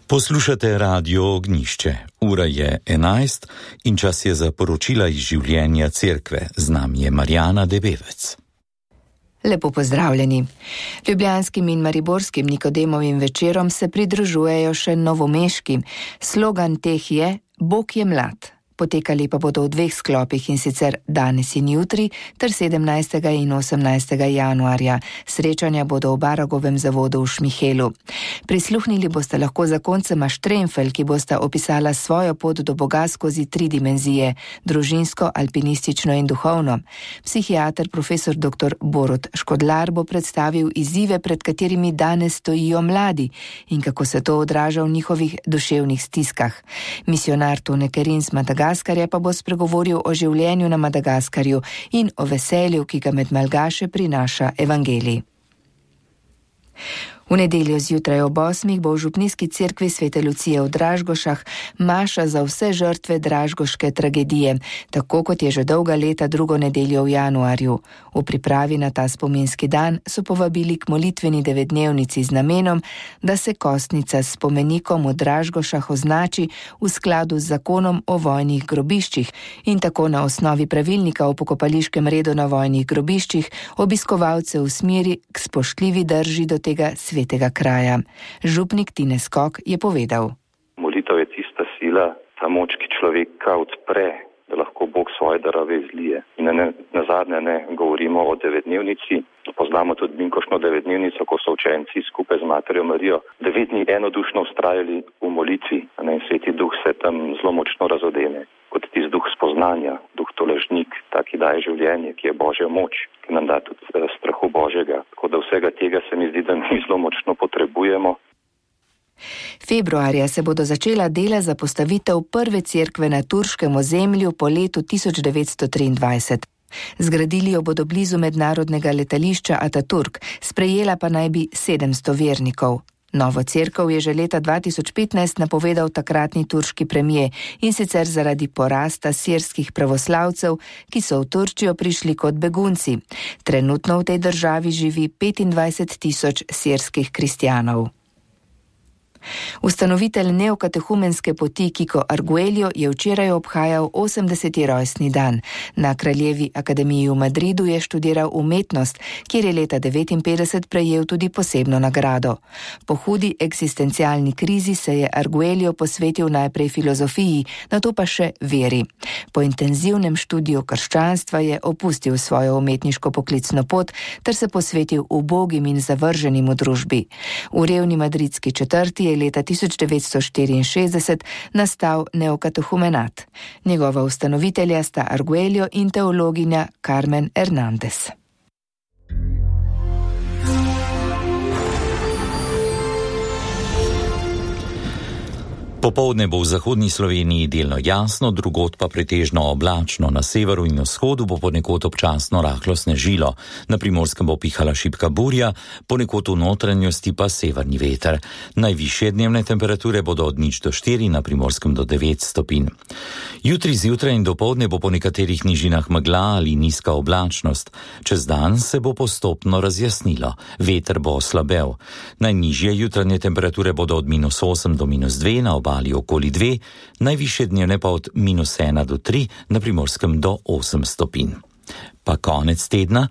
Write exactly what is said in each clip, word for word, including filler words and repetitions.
Poslušate Radio Ognjišče. Ura je enajst in čas je za poročila iz življenja cerkve. Z nami je Marjana Debevec. Lepo pozdravljeni. Ljubljanskim in mariborskim Nikodemovim večerom se pridružujejo še novomeški. Slogan teh je Bog je mlad. Potekali pa bodo v dveh sklopih, in sicer danes in jutri ter sedemnajstega in osemnajstega januarja. Srečanja bodo v Baragovem zavodu v Šmihelu. Prisluhnili boste lahko zakoncema Štremfelj, ki bosta opisala svojo pot do Boga skozi tri dimenzije, družinsko, alpinistično in duhovno. Psihiater profesor doktor Borut Škodlar bo predstavil izzive, pred katerimi danes stojijo mladi in kako se to odraža v njihovih duševnih stiskah. Misionar Tone Kerin z Madagaskarja Madagaskarja pa bo spregovoril o življenju na Madagaskarju in o veselju, ki ga med malgaše prinaša evangelij. V nedeljo zjutraj ob osmih bo v župnijski cerkvi Svete Lucije v Dražgošah maša za vse žrtve dražgoške tragedije, tako kot je že dolga leta drugo nedeljo v januarju. V pripravi na ta spominski dan so povabili k molitveni devetdnevnici z namenom, da se kostnica s spomenikom v Dražgošah označi v skladu z zakonom o vojnih grobiščih in tako na osnovi pravilnika o pokopališkem redu na vojnih grobiščih obiskovalce usmeri k spoštljivi drži do tega svetega kraja. Župnik Tine Skok je povedal. Molitev je tista sila, ta moč, ki človeka odpre, da lahko Bog svoje darove izlije. In ne, na zadnje ne govorimo o devetdnevnici, poznamo tudi Binkošno devetdnevnico, ko so učenci skupaj z Materjo Marijo devet dni enodušno vztrajali v molitvi, in Sveti Duh se tam zelo močno razodene. Kot tisti duh spoznanja, duh tolažnik, ta, ki daje življenje, ki je Božja moč, ki nam da tudi strahu Božjega. Tako da vsega tega se mi zdi, da mi zelo močno potrebujemo. Februarja se bodo začela dela za postavitev prve cerkve na turškem ozemlju po letu tisoč devetsto triindvajset. Zgradili jo bodo blizu mednarodnega letališča Ataturk, sprejela pa naj bi sedemsto vernikov. Novo cerkev je že leta dva tisoč petnajst napovedal takratni turški premier, in sicer zaradi porasta sirskih pravoslavcev, ki so v Turčijo prišli kot begunci. Trenutno v tej državi živi petindvajset tisoč sirskih kristjanov. Ustanovitelj neokatehumenske poti Kiko Arguello je včeraj obhajal osemdeseti rojstni dan. Na Kraljevi akademiji v Madridu je študiral umetnost, kjer je leta devetinpetdeset prejel tudi posebno nagrado. Po hudi eksistencialni krizi se je Arguello posvetil najprej filozofiji, nato pa še veri. Po intenzivnem študiju krščanstva je opustil svojo umetniško poklicno pot ter se posvetil ubogim in zavrženim v družbi. V revni madridski četrti je leta tisoč devetsto štiriinšestdeset nastal neokatehumenat. Njegova ustanovitelja sta Arguello in teologinja Carmen Hernández. Popoldne bo v zahodni Sloveniji delno jasno, drugod pa pretežno oblačno. Na severu in vzhodu bo ponekod občasno rahlo snežilo. Na Primorskem bo pihala šibka burja, ponekod v notranjosti pa severni veter. Najvišje dnevne temperature bodo od nič do štiri, na Primorskem do devet stopinj. Jutri zjutraj in dopoldne bo po nekaterih nižinah megla ali nizka oblačnost. Čez dan se bo postopno razjasnilo. Veter bo oslabel. Najnižje jutranje temperature bodo od minus osem do minus dve, na obali okoli dve, najvišje dnevne pa od minus ena do tri, na Primorskem do osem stopinj. Pa konec tedna.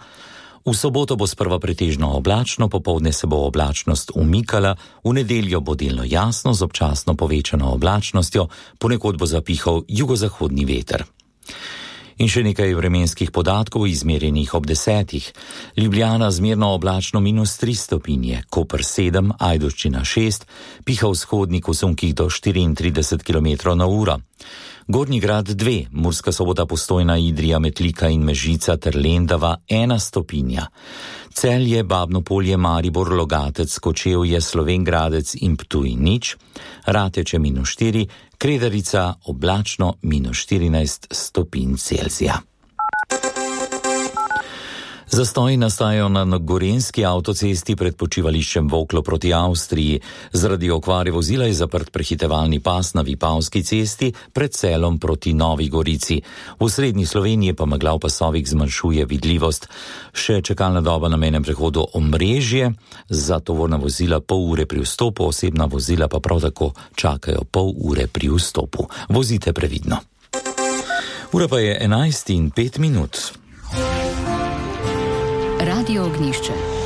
V soboto bo sprva pretežno oblačno, popoldne se bo oblačnost umikala, v nedeljo bo delno jasno z občasno povečano oblačnostjo, ponekod bo zapihal jugozahodni veter. In še nekaj vremenskih podatkov izmerjenih ob desetih. Ljubljana zmerno oblačno minus tri stopinje, Koper sedem, Ajdovščina šest, piha vzhodnik v sunkih do štiriintrideset kilometrov na uro. Gornji Grad dve, Murska Sobota, Postojna, Idrija, Metlika in Mežica ter Lendava ena stopinja. Celje, Babno Polje, Maribor, Logatec, Kočevje, Slovenj Gradec in Ptuj nič, Rateče minus štiri, Kredarica oblačno minus štirinajst stopinj Celzija. Zastoji nastajajo na gorenjski avtocesti pred počivališčem Voklo proti Avstriji. Zaradi okvare vozila je zaprt prehitevalni pas na Vipavski cesti pred Celom proti Novi Gorici. V srednji Sloveniji pa megla v pasovih zmanjšuje vidljivost. Še čakalna doba na mejnem prehodu Omrežje, za tovorna vozila pol ure pri vstopu, osebna vozila pa prav tako čakajo pol ure pri vstopu. Vozite previdno. Ura pa je enajst in pet minut. Radio Ognjišče.